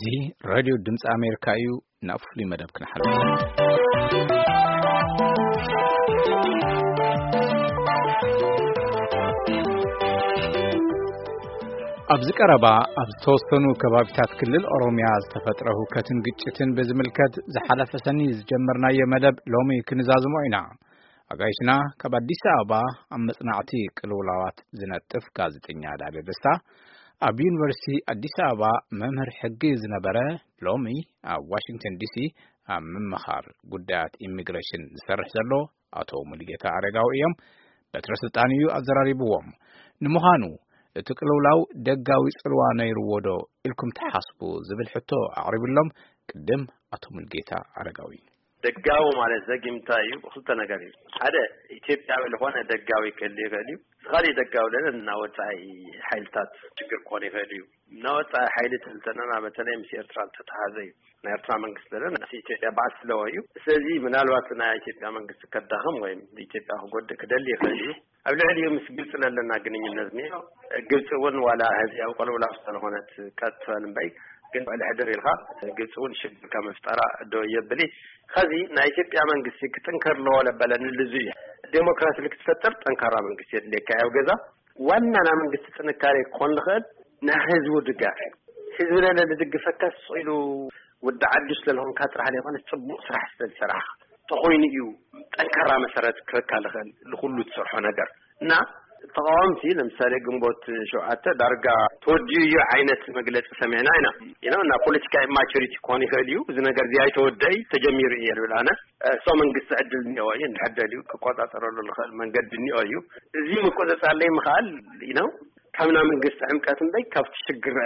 እዚ ሬድዮ ድምፂ ኣሜሪካ እዩ። ናብ ፍሉይ መደብ ክንሓልፍ። ኣብዚ ቀረባ ኣብ ዝተወሰኑ ከባቢታት ክልል ኦሮሚያ ዝተፈጥረ ሁከትን ግጭትን ብዝምልከት ዝሓለፈ ሰኒ ዝጀመርናዮ መደብ ሎሚ ክንዛዝሞ ኢና። ኣጋይሽና ካብ ኣዲስ ኣበባ ኣብ መጽናዕቲ ቅልውላዋት ዝነጥፍ ጋዜጠኛ ዳደ ደስታ፣ ኣብ ዩኒቨርሲቲ ኣዲስ ኣበባ መምህር ሕጊ ዝነበረ፣ ሎሚ ኣብ ዋሽንግተን ዲሲ ኣብ ምምኻር ጉዳያት ኢሚግሬሽን ዝሰርሕ ዘሎ ኣቶ ሙሉጌታ ኣረጋዊ እዮም። በትረ ስልጣን እዩ ኣዘራሪብዎም። ንምዃኑ እቲ ቅልውላው ደጋዊ ጽልዋ ነይርዎ ዶ ኢልኩም ትሓስቡ ዝብል ሕቶ ኣቕሪብሎም። ቅድም ኣቶ ሙሉጌታ ኣረጋዊ። ደጋዊ ማለት ዘጊምታ እዩ። ብክልተ ነገር እዩ። ሓደ፣ ኢትዮጵያዊ ዝኾነ ደጋዊ ክህሉ ይኽእል እዩ። ዝኻሊ ደጋዊ ለለ እና ወፃኢ ሓይልታት ችግር ክኾን ይኽእል እዩ። እና ወፃኢ ሓይሊ ትልተነና በተለይ ምስ ኤርትራ እንተተሃዘ እዩ። ናይ ኤርትራ መንግስቲ ለለ ምስ ኢትዮጵያ ባዕስ ስለዎ እዩ። ስለዚ ምናልባት ናይ ኢትዮጵያ መንግስቲ ከዳኽም ወይም ኢትዮጵያ ክጎድእ ክደሊ ይኽእል እዩ። ኣብ ልዕሊኡ ምስ ግብፂ ለለና ግንኙነት እኒኦ። ግብፂ እውን ዋላ ህዚ ኣብ ቅልውላው ዝተለኾነት ቀጥፈል እምበይ ግን ልዕሊ ሕድር ኢልካ ግብፂ እውን ሽግር ካብ ምፍጠራ ዶ የብሊ። ከዚ ናይ ኢትዮጵያ መንግስቲ ክጥንከር ኣለዎ ለበለኒ ልዙ እዩ። ዴሞክራሲ ልክትፈጥር ጠንካራ መንግስቲ የድልየካ ኣብ ገዛ። ዋና ናይ መንግስቲ ጥንካሬ ክኾን ዝኽእል ናይ ህዝቡ ድጋፍ እዩ። ህዝቢ ለለ ዝድግፈካ ስቕ ኢሉ ወዲ ዓዱ ስለዝኾንካ ጥራሕ ዘይኮነ ፅቡቕ ስራሕ ስለዝሰራሕካ ተኾይኑ እዩ ጠንካራ መሰረት ክበካ ዝኽእል ንኩሉ ትሰርሖ ነገር። እና ተቃወምቲ ለምሳሌ ግንቦት ሸውዓተ ዳርጋ ተወዲኡ እዩ ዓይነት መግለፂ ሰሚዕና ኢና። ኢና እና ፖለቲካ ኢማቹሪቲ ክኾን ይኽእል እዩ። እዚ ነገር እዚ ኣይተወደይ ተጀሚሩ እየ ዝብል ኣነ። እሶ መንግስቲ ዕድል እኒኦ እዩ እንድሕር ደልዩ ክቆፃፀረሉ ዝኽእል መንገዲ እኒኦ እዩ። እዚ ምቆፃፀር ለይ ምኽኣል ነው። ካብ ናይ መንግስቲ ዕምቀት እምበይ ካብቲ ሽግር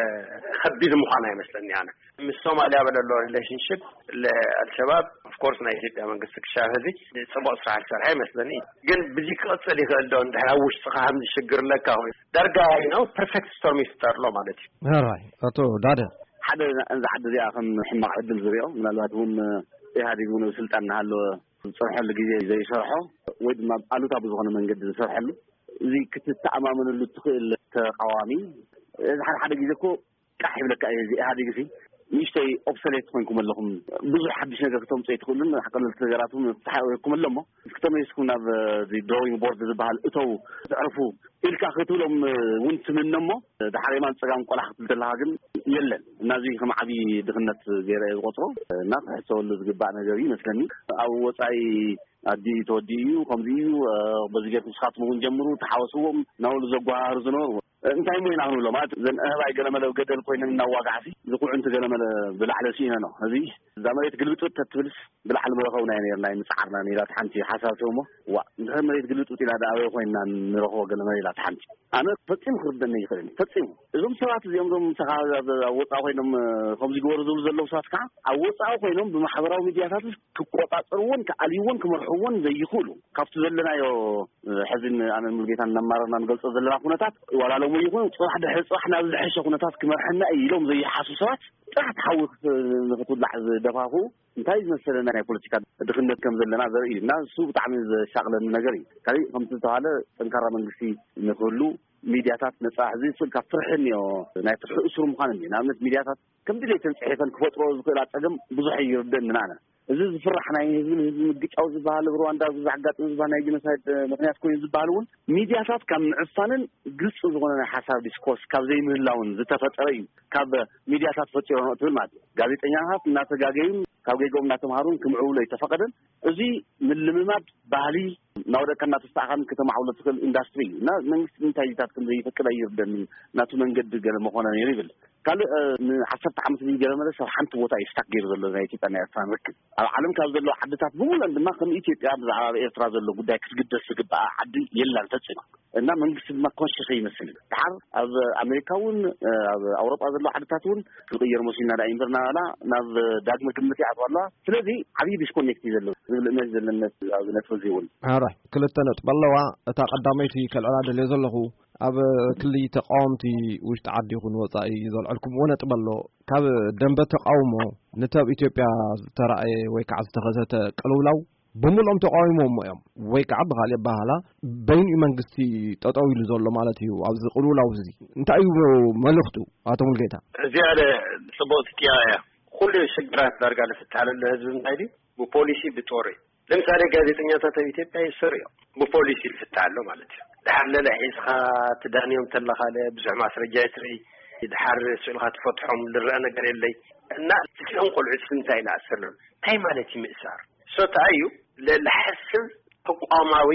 ከቢድ ምዃን ኣይመስለኒ ኣነ። ምስ ሶማልያ በለሎ ሪሌሽንሽፕ ለኣልሸባብ ኦፍኮርስ ናይ ኢትዮጵያ መንግስቲ ክሻብ ሕዚ ጽቡቕ ስራሕ ዝሰርሐ ይመስለኒ። ግን ብዚ ክቕጽል ይኽእል ዶ? እንድሕር ኣብ ውሽጥኻ ከምዚ ሽግር ኣለካ ኮይኑ ዳርጋ ነው ፐርፌክት ስቶርም ይፍጠር ኣሎ ማለት እዩ። ራይ ኣቶ ዳደ ሓደ እዛ ዓዲ እዚኣ ከም ሕማቕ ዕድል ዝሪኦ ምናልባት እውን ኢህኣዴግ እውን ኣብ ስልጣን እናሃለወ ዝፀንሐሉ ግዜ ዘይሰርሖ ወይ ድማ ኣሉታ ብዝኾነ መንገዲ ዝሰርሐሉ እዚ ክትተኣማመነሉ ትኽእል ተቃዋሚ እዚ ሓደ ሓደ ግዜ እኮ ቃሕ ይብለካ እዩ። እዚ ኢህኣዴግ እዚ ንእሽተይ ኦብሰሌት ኮይንኩም ኣለኹም። ብዙሕ ሓድሽ ነገር ክተምፁ ኣይትኽእሉን። ቀለልቲ ነገራት እውን ተሓወኩም ኣሎ እሞ እስኪ ተመሊስኩም ናብ ድሮዊንግ ቦርድ ዝበሃል እተው ትዕርፉ ኢልካ ክትብሎም እውን ትምነ እሞ ድሓር የማን ፀጋም ቆላሕ ክትብል ከለካ ግን የለን። እና እዚ ከም ዓብዪ ድኽነት ገይረ እየ ዝቆፅሮ እና ክሕሰበሉ ዝግባእ ነገር እዩ ይመስለኒ። ኣብ ወፃኢ ኣዲ ተወዲኡ እዩ ከምዚ እዩ። በዚ ጌርኩም ንስኻትኩም እውን ጀምሩ ተሓወስዎም እናበሉ ዘጓሃሩ ዝነበሩ እንታይ እሞ ኢና ክንብሎ ማለት ዘን ኣህባይ ገለመለ ገደል ኮይነን እናዋጋዕሲ ዝኩዕንቲ ገለመለ ብላዕለ ስኢነ ነው እዚ እዛ መሬት ግልብጥብጥ ተትብልስ ብላዕሊ መረኸብና ነርና ምፅዓርና ኢላት ሓንቲ ሓሳብ ትህቦ። ዋ እንድሕር መሬት ግልብጥብጥ ኢላ ዳ ኣበይ ኮይንና ንረኽቦ ገለመለ ኢላት ሓንቲ። ኣነ ፈፂሙ ክርደኒ ይኽእል ፈፂሙ። እዞም ሰባት እዚኦም ዞም ምሳኻ ኣብ ወፃኢ ኮይኖም ከምዚ ግበሩ ዝብሉ ዘለዉ ሰባት ከዓ ኣብ ወፃኢ ኮይኖም ብማሕበራዊ ሚድያታት ክቆፃፀርዎን ክኣልይዎን ክመርሕዎን ዘይኽእሉ ካብቲ ዘለናዮ ሕዚን ኣነን ሙሉጌታን እናማረርና ንገልፆ ዘለና ኩነታት ዋላ ሎሚ ይኹን ፅባሕ ድሕሪ ፅባሕ ናብ ዝሐሸ ኩነታት ክመርሐና እዩ ኢሎም ዘይሓሱ ሰባት ጥራሕ ትሓዊ ንክትውላዕ ዝደፋፉ እንታይ ዝመሰለ ናይ ፖለቲካ ድኽነት ከም ዘለና ዘርኢ እዩ እና እሱ ብጣዕሚ ዘሻቕለኒ ነገር እዩ። ካሊእ ከምቲ ዝተባሃለ ጠንካራ መንግስቲ ንክህሉ ሚድያታት ነፃ ህዝቢ ስል ካብ ፍርሒ እኒኦ ናይ ፍርሒ እሱር ምዃን እኒኦ ንኣብነት ሚድያታት ከም ድሌተን ፅሒፈን ክፈጥሮ ዝኽእላ ፀገም ብዙሕ ይርደእንን ኣነ እዚ ዝፍራሕ ናይ ህዝቢ ንህዝቢ ምግጫው ዝበሃል ኣብ ሩዋንዳ ኣብዚ ዘጋጥም ዝበሃል ናይ ጀኖሳይድ ምክንያት ኮይኑ ዝበሃል እውን ሚድያታት ካብ ምዕፋንን ግልፂ ዝኾነ ናይ ሓሳብ ዲስኮርስ ካብ ዘይምህላውን ዝተፈጠረ እዩ። ካብ ሚድያታት ፈጢሮ ነው ትብል ማለት እዩ። ጋዜጠኛታት እናተጋገዩን ካብ ጌጎም እናተምሃሩን ክምዕብሎ ኣይተፈቀደን። እዚ ምልምማድ ባህሊ ናወደቀ እናተስተኣኻን ከተማዕብሎ ትኽእል ኢንዳስትሪ እዩ እና መንግስቲ እንታይ ታት ከም ዘይፈቅድ ኣይርደኒ ናቱ መንገዲ ገለ መኾነ ነይሩ ይብል። ካልእ ንዓሰርተ ዓመት ገለ መለ ሰብ ሓንቲ ቦታ እዩ ስታክ ገይሩ ዘሎ ናይ ኢትዮጵያ ናይ ኤርትራ ንርክብ ኣብ ዓለም ካብ ዘለዎ ዓድታት ብምሉእን ድማ ከም ኢትዮጵያ ብዛዕባ ኣብ ኤርትራ ዘሎ ጉዳይ ክትግደስ ዝግባኣ ዓዲ የላን ፈፂማ እና መንግስቲ ድማ ኮንሽስ ይመስል ድሓር ኣብ ኣሜሪካ እውን ኣብ ኣውሮጳ ዘሎ ዓድታት እውን ክንቅየር መሲልና ዳ ኢምበር ናባና ናብ ዳግመ ግምት ይኣትዋ ኣለዋ ስለዚ ዓብዪ ዲስኮኔክት እዩ ዘሎ ዝብል እምነት ዘለነት ኣብዚ ነጥቢ እዚ እውን ኣራ ክልተ ነጥቢ ኣለዋ እታ ቀዳመይቲ ከልዕላ ደልዮ ዘለኹ ኣብ ክሊ ተቃወምቲ ውሽጢ ዓዲ ይኹን ወፃኢ ዘልዐልኩምዎ ነጥቢ ኣሎ ካብ ደንበ ተቃውሞ ነቲ ኣብ ኢትዮጵያ ዝተረኣየ ወይ ከዓ ዝተኸሰተ ቅልውላው ብምሉኦም ተቃዊሞሞ እዮም፣ ወይ ከዓ ብካሊእ ኣባሃላ በይኑ መንግስቲ ጠጠው ኢሉ ዘሎ ማለት እዩ። ኣብዚ ቅልውላው እዚ እንታይ እዩ መልእኽቱ? ኣቶ ሙልጌታ። እዚኣ ጽቡቕቲ ጥያቄ እያ። ኩሉ ሽግራት ዳርጋ ዝፍትሓለሉ ህዝቢ እንታይ ድዩ? ብፖሊሲ፣ ብጦር እዩ። ለምሳሌ ጋዜጠኛታት ኣብ ኢትዮጵያ ይእሰሩ እዮም፣ ብፖሊሲ ይፍትሓ ኣሎ ማለት እዩ። ድሓር ለለ ሒዝካ ትዳንዮም ተለኻ ለ ብዙሕ ማስረጃ ይትርኢ፣ ድሓር ስእልካ ትፈትሖም ዝረአ ነገር የለይ። እና እዚኦም ቆልዑ ስለምንታይ ይንኣሰሎም? እንታይ ማለት እዩ ምእሳር? ሶታ እዩ ለልሓስብ ተቋማዊ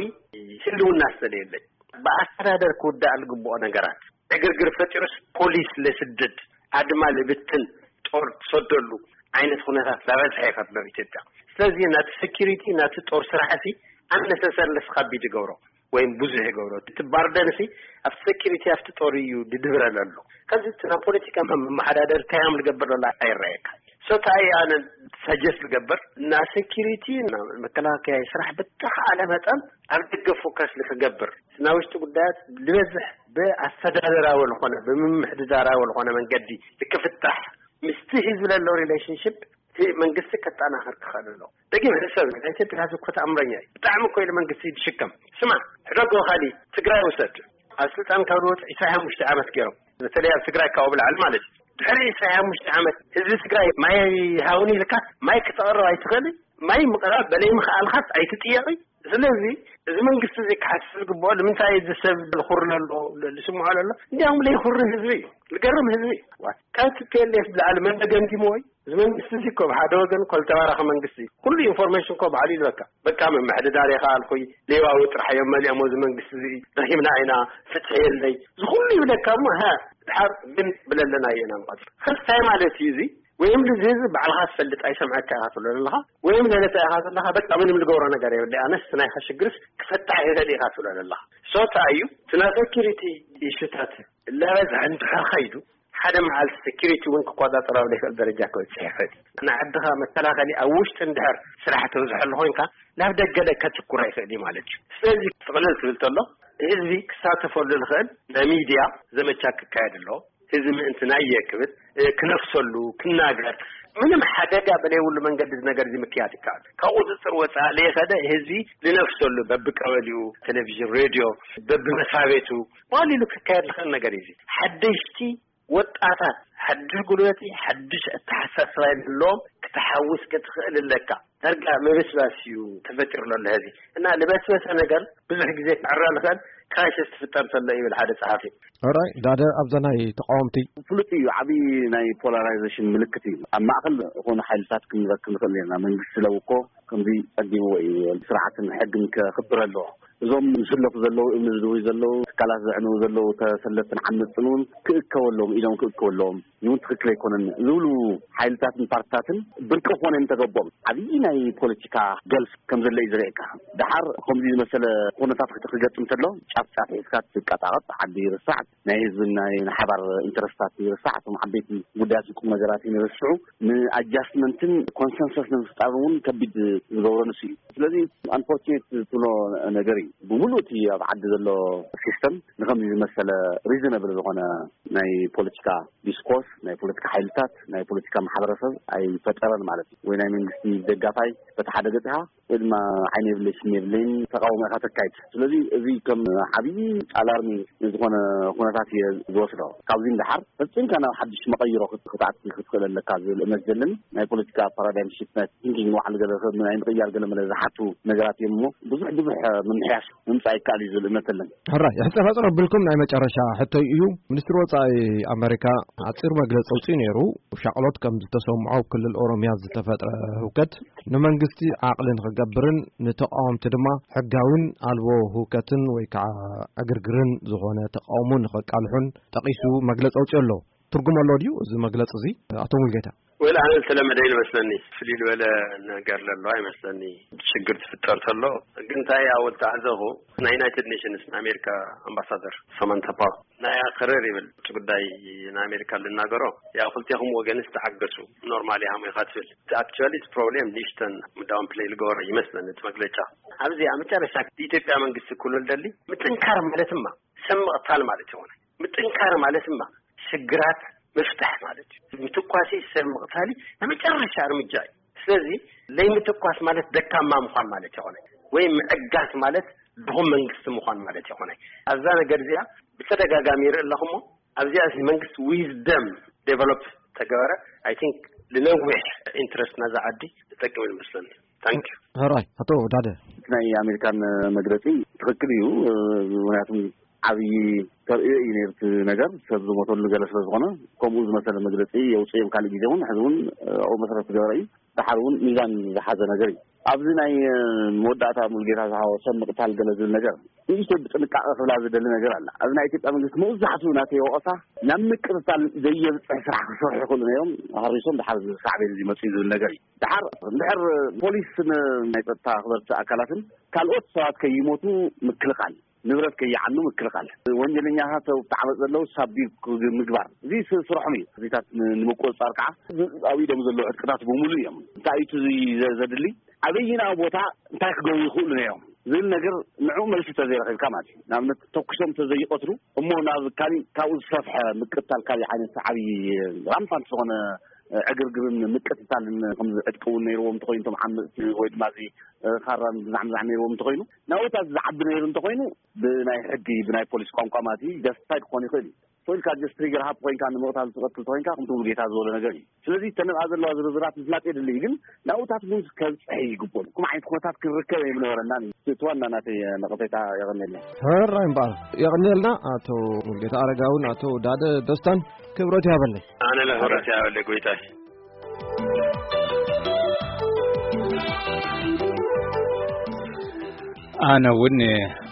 ህልውና ስለየለይ፣ ብኣስተዳደር ክውዳእ ዝግብኦ ነገራት ዕግርግር ፈጢሩስ ፖሊስ ለስድድ፣ ኣድማ ልብትን፣ ጦር ትሰደሉ ዓይነት ኩነታት ላበዝሐ ይኸድሎ ኢትዮጵያ። ስለዚ ናቲ ሴኪሪቲ ናቲ ጦር ስራሕ ሲ ኣነሰሰር ለስካቢድ ይገብሮ ወይም ብዙሕ ይገብሮ። እቲ ባርደንሲ ኣብቲ ሴኪሪቲ ኣብቲ ጦር እዩ ድድብረ ዘሎ። ከዚ እቲ ናብ ፖለቲካ መመሓዳደር እንታይ እዮም ዝገብር ዘሎ ኣይረኣየካ። ሶታይ ኣነ ሰጀስት ዝገብር እና ሴኪሪቲ እና መከላከያ ስራሕ ብተኻእለ መጠን ኣብ ደገ ፎከስ ንክገብር፣ ናብ ውሽጢ ጉዳያት ዝበዝሕ ብኣስተዳደራዊ ዝኾነ ብምምሕድዳራዊ ዝኾነ መንገዲ ንክፍታሕ ምስቲ ህዝቢ ለሎ ሪሌሽንሽፕ እቲ መንግስቲ ከጠናኸር ክኽእል ኣሎ። ደጊም ሕሰብ ናይ ኢትዮጵያ ህዝቢ እኮ ተኣምረኛ እዩ። ብጣዕሚ እኮ ኢሉ መንግስቲ ይድሽከም። ስማ ሕደጎ ካሊ ትግራይ ውሰድ። ኣብ ስልጣን ካብ ዝወፁ ዕስራን ሓሙሽተ ዓመት ገይሮም፣ በተለይ ኣብ ትግራይ ካብኡ ብላዕሊ ማለት እዩ። ድሕሪ ዕስራን ሓሙሽተ ዓመት ህዝቢ ትግራይ ማይ ሃውኒ ኢልካ ማይ ክተቕርብ ኣይትኽእል። ማይ ምቕራብ በለይ ምኽኣልካስ ኣይትጥየቂ። ስለዚ እዚ መንግስቲ እዚ ክሓስብ ዝግብኦ ንምንታይ እዚ ሰብ ልኹር ለሎ ልስምዖ ለሎ እንዲያውም ለይኹሪ ህዝቢ እዩ። ልገርም ህዝቢ እዩ። ካብ ቲ ፒ ኤል ኤፍ ብላዕሊ መን ደገምጊምዎ እዩ? እዚ መንግስቲ እዚ እኮ ብሓደ ወገን እኮ ዝተባረኸ መንግስቲ እዩ። ኩሉ ኢንፎርሜሽን እኮ ባዕሉ ይልበካ። በቃ ምምሕድዳር የኸኣልኩይ ሌባዊ ጥራሕ እዮም መሊኦሞ እዚ መንግስቲ እዚ። ረሂምና ኢና፣ ፍትሒ የለይ። እዚ ኩሉ ይብለካ እሞ ሃ ድሓር ግን ብለለና ኢና ንቐፅል። ከስታይ ማለት እዩ እዚ። ወይም ልዚ ህዝቢ ባዕልኻ ትፈልጥ ኣይሰምዐካ ኢኻ ትብሎ ዘለኻ፣ ወይም ለለታ ኢኻ ዘለኻ በቃ ምንም ልገብሮ ነገር የብለ ኣነስ ናይኻ ሽግርስ ክፈታሕ ይኽእል ኢኻ ትብሎ ዘለኻ። ሶታ እዩ እቲ ናይ ሴኪሪቲ ኢሹታት ለበዝሐ እንድሕር ኸይዱ ሓደ መዓልቲ ሴኪሪቲ እውን ክቆጻጸሮ ኣብ ዘይክእል ደረጃ ክበጽሕ ይኽእል እዩ። ንዓድኻ መከላኸሊ ኣብ ውሽጢ እንድሕር ስራሕ ተብዝሐሉ ኮይንካ ናብ ደገ ለከትኩር ኣይኽእል እዩ ማለት እዩ። ስለዚ ጥቕልል ትብል ተሎ ህዝቢ ክሳተፈሉ ዝኽእል ናይ ሚድያ ዘመቻ ክካየድ ኣለዎ። ህዝቢ ምእንቲ ናየ ክብል ክነፍሰሉ ክናገር ምንም ሓደጋ በለይብሉ መንገዲ እዚ ነገር እዚ ምክያድ ይከኣል። ካብ ቁፅፅር ወፃእ ለይኸደ ህዝቢ ዝነፍሰሉ በብቀበሊኡ ቴሌቪዥን ሬድዮ በብመስራቤቱ ዋሊሉ ክካየድ ዝኽእል ነገር እዩ። ሓደሽቲ ወጣታት ሓድሽ ጉልበቲ ሓድሽ ኣተሓሳስባ ዘለዎም ክትሓውስ ክትኽእል ኣለካ። ዳርጋ ምብስባስ እዩ ተፈጢሩ ዘሎ። ሕዚ እና ልበስበሰ ነገር ብዙሕ ግዜ ክዕረ ልኽእል ክራይሲስ ትፍጠር ተሎ ይብል ሓደ ጸሓፊ። ሕራይ ዳደ ኣብዛ ናይ ተቃወምቲ ፍሉጥ እዩ። ዓብዪ ናይ ፖላራይዜሽን ምልክት እዩ። ኣብ ማእኸል ዝኾኑ ሓይልታት ክንረክብ ንኽእል ነርና። መንግስቲ ለውኮ ከምዚ ጸጊምዎ እዩ። ስርዓትን ሕግን ከኽብር ኣለዎ። እዞም ዝስለፉ ዘለዉ እምኒ ዝድውዩ ዘለዉ ትካላት ዘዕንዉ ዘለዉ ተሰለፍትን ዓመፅትን እውን ክእከበሎም ኢሎም ክእከበሎም እውን ትኽክል ኣይኮነን ዝብሉ ሓይልታትን ፓርትታትን ብርቂ ክኾነ እንተገቦም ዓብዪ ናይ ፖለቲካ ገልፍ ከም ዘሎ እዩ ዝርእየካ። ደሓር ከምዚ ዝመሰለ ኩነታት ክገጥም እንተሎ ጫፍ ጫፍ ሒዝካ ትቃጣቐጥ ዓዲ ይርሳዕ፣ ናይ ህዝብን ናይ ሓባር ኢንተረስታት ይርሳዕ፣ እቶም ዓበይቲ ጉዳያትን ቁም ነገራትን ይርስዑ፣ ንኣጃስትመንትን ኮንሰንሰስ ንምፍጣር እውን ከቢድ ዝገብሮ ንሱ እዩ። ስለዚ ኣንፎርቹኔት ትብሎ ነገር እዩ። ብምሉእ እቲ ኣብ ዓዲ ዘሎ ሲስተም ንከምዚ ዝመሰለ ሪዝነብል ዝኾነ ናይ ፖለቲካ ዲስኮርስ ናይ ፖለቲካ ሓይልታት ናይ ፖለቲካ ማሕበረሰብ ኣይፈጠረን ማለት እዩ። ወይ ናይ መንግስቲ ደጋፋይ በቲ ሓደ ገጽ ኢኻ ወይ ድማ ዓይነ የብለይ ስኒ የብለይን ተቃውሞ ኢኻ ተካይድ። ስለዚ እዚ ከም ዓብዪ ኣላርሚ ዝኾነ ኩነታት እየ ዝወስዶ። ካብዚ ንደሓር ፈጺምካ ናብ ሓድሽ መቐይሮ ክትኣቲ ክትኽእል ኣለካ ዝብል እምነት ዘለኒ። ናይ ፖለቲካ ፓራዳይም ሽፍት ናይ ቲንኪንግ ንባዕሉ ገለ ናይ ምቕያር ገለ መለ ዝሓቱ ነገራት እዮም እሞ ብዙሕ ብዙሕ ምምሕያሽ ምምፃእ ይከኣል እዩ ዝብል እምነት ኣለኒ። ሕራይ ሕፅር ሕፅር ኣቢልኩም ናይ መጨረሻ ሕቶይ እዩ። ሚኒስትሪ ወፃኢ ኣሜሪካ ሓፂር መግለፂ ኣውፂኡ ነይሩ። ሻቕሎት ከም ዝተሰምዖ ኣብ ክልል ኦሮሚያ ዝተፈጥረ ህውከት ንመንግስቲ ዓቕሊ ንክገብርን ንተቃወምቲ ድማ ሕጋዊን ኣልቦ ህውከትን ወይ ከዓ ዕግርግርን ዝኾነ ተቃውሞ ንከቃልሑን ጠቒሱ መግለፂ ኣውፂኡ ኣሎ። ትርጉም ኣሎ ድዩ እዚ መግለፂ እዚ ኣቶ ሙልጌታ? ወል ኣነ ዝተለመደ ይመስለኒ። ፍልይ ዝበለ ነገር ለሎ ኣይመስለኒ። ሽግር ትፍጠር ተሎ ግን እንታይ ኣወል ተዓዘኹ ናይ ዩናይትድ ኔሽንስ ንኣሜሪካ ኣምባሳደር ሳማንታ ፓወር ናይ ክርር ይብል ውጭ ጉዳይ ንኣሜሪካ ልናገሮ ያ ክልቴኹም ወገንስ ተዓገሱ ኖርማል ያሙ ኢኻ ትብል። ኣክቹዋሊ እቲ ፕሮብሌም ንእሽተን ዳውን ፕሌይ ልገበሮ ይመስለኒ እቲ መግለጫ። ኣብዚ ኣብ መጨረሻ ኢትዮጵያ መንግስቲ ክብሎ ልደሊ ምጥንካር ማለትማ ሰብ ምቕታል ማለት ይኾነ። ምጥንካር ማለትማ ሽግራት ምፍታሕ ማለት እዩ። ምትኳሲ ሰብ ምቕታሊ ናይ መጨረሻ እርምጃ እዩ። ስለዚ ለይምትኳስ ማለት ደካማ ምዃን ማለት ይኾነ፣ ወይ ምዕጋስ ማለት ድኹም መንግስቲ ምዃን ማለት ይኾነ። ኣብዛ ነገር እዚኣ ብተደጋጋሚ ይርኢ ኣለኹሞ፣ ኣብዚኣ እዚ መንግስቲ ዊዝደም ዴቨሎፕ ተገበረ፣ I think ንነዊሕ ኢንትረስት ናዛ ዓዲ ዝጠቅም ይመስለኒ። ታንክ ዩ። ሕራይ ኣቶ ዳደ። ናይ ኣሜሪካን መግለጺ ትኽክል እዩ። ምክንያቱም ዓብዪ ተርእዮ እዩ ነይሩ እቲ ነገር፣ ሰብ ዝሞተሉ ገለ ስለ ዝኾነ፣ ከምኡ ዝመሰለ መግለጺ የውፅእ እዮም። ካልእ ግዜ እውን ሕዚ እውን ኣብኡ መሰረት ዝገበረ እዩ። ደሓር እውን ሚዛን ዝሓዘ ነገር እዩ። ኣብዚ ናይ መወዳእታ ሙሉጌታ ዝሃቦ ሰብ ምቕታል ገለ ዝብል ነገር ንእሽተይ ብጥንቃቐ ክብላ ዝደሊ ነገር ኣላ። ኣብዚ ናይ ኢትዮጵያ መንግስቲ መብዛሕትኡ ናተይ ወቐሳ ናብ ምቅትታል ዘየብፅሕ ስራሕ ክሰርሑ ይኽእሉ ነይሮም፣ ሃሪሶም ደሓር ሳዕቤን እዚ መፅኡ ዝብል ነገር እዩ። ደሓር እንድሕር ፖሊስን ናይ ፀጥታ ኣኽበርቲ ኣካላትን ካልኦት ሰባት ከይሞቱ ምክልኻል፣ ንብረት ከይዓኑ ምክልኻል፣ ወንጀለኛታት ኣብቲ ዓመፅ ዘለዉ ሳቢብ ምግባር፣ እዚ ስ- ስርሖም እዩ። እዚታት ን- ንምቁፅፃር ከዓ ኣብ ኢዶም ዘለዉ ዕጥቅታት ብምሉእ እዮም። እንታይ እዩ እቲ ዚ- ዘ- ዘድሊ፣ ኣበይና ቦታ እንታይ ክገብሩ ይኽእሉ ነይሮም ዝብል ነገር ንዕኡ መልሲ ተዘይረኺብካ ማለት እዩ። ንኣብነት ተኩሶም ተዘይቀትሉ እሞ ናብ ካሊእ ካብኡ ዝሰፍሐ ምቅታል፣ ካሊእ ዓይነት ዓብዪ ራምፓንት ዝኾነ ዕግርግርን ምቅትታልን ከም ዝዕጥቅውን ነይርዎም እንተኾይኑ፣ እቶም ዓመፅቲ ወይ ድማ እዚ ኻራን ብዛዕምዛዕ ነይርዎም እንተኾይኑ፣ ናውታት ዝዓቢ ነይሩ እንተኾይኑ፣ ብናይ ሕጊ ብናይ ፖሊስ ቋንቋ ማለት እዩ ጀስቲፋይድ ክኾን ይኽእል እዩ። ኮይልካ ጀስት ትሪገር ሃፕ ኮይንካ ንምቕታል ትቐትል ተኮይንካ ከምቲ ሙሉጌታ ዝበሎ ነገር እዩ። ስለዚ ተነብኣ ዘለዋ ዝርዝራት ምፍላጥ የድሊ እዩ፣ ግን ናብኡታት እውን ከብፅሕ ይግበሉ። ከም ዓይነት ኩነታት ክንርከብ ኣይምነበረናን እዩ። እቲ ዋና ናተይ ነቐፌታ። የቐንየለይ። ሕራይ እምበኣር የቐንየልና ኣቶ ሙሉጌታ ኣረጋውን ኣቶ ዳደ ደስታን። ክብረት ያበለይ። ኣነ ለክብረት ያበለይ ጎይታይ። ኣነ እውን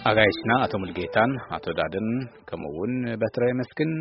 ኣጋይሽና ኣቶ ሙሉጌታን ኣቶ ዳደን ከምኡ እውን በትረ የመስግን።